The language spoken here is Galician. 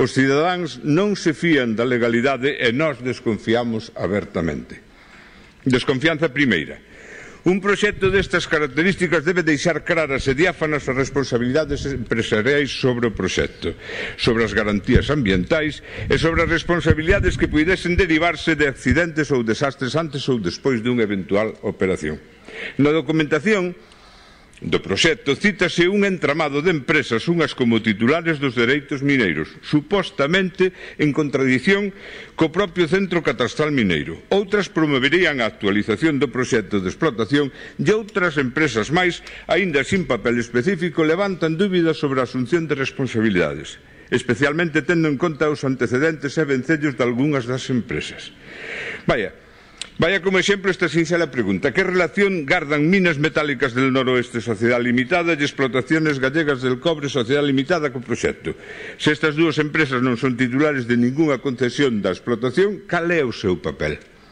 Os cidadáns non se fían da legalidade e nós desconfiamos abertamente. Desconfianza primeira. Un proxecto destas características debe deixar claras e diáfanas as responsabilidades empresariais sobre o proxecto, sobre as garantías ambientais e sobre as responsabilidades que puidesen derivarse de accidentes ou desastres antes ou despois dunha eventual operación. Na documentación do proxecto cítase un entramado de empresas, unhas como titulares dos dereitos mineiros, supostamente en contradición co propio Centro Catastral Mineiro. Outras promoverían a actualización do proxecto de explotación e outras empresas máis, aínda sin papel específico, levantan dúbidas sobre a asunción de responsabilidades, especialmente tendo en conta os antecedentes e vencellos de algunhas das empresas. Vaya como exemplo esta sinxela pregunta: que relación gardan Minas Metálicas del Noroeste Sociedade Limitada e Explotaciones Gallegas del Cobre Sociedade Limitada co proxecto? Se estas dúas empresas non son titulares de ningunha concesión da explotación, cal é o seu papel?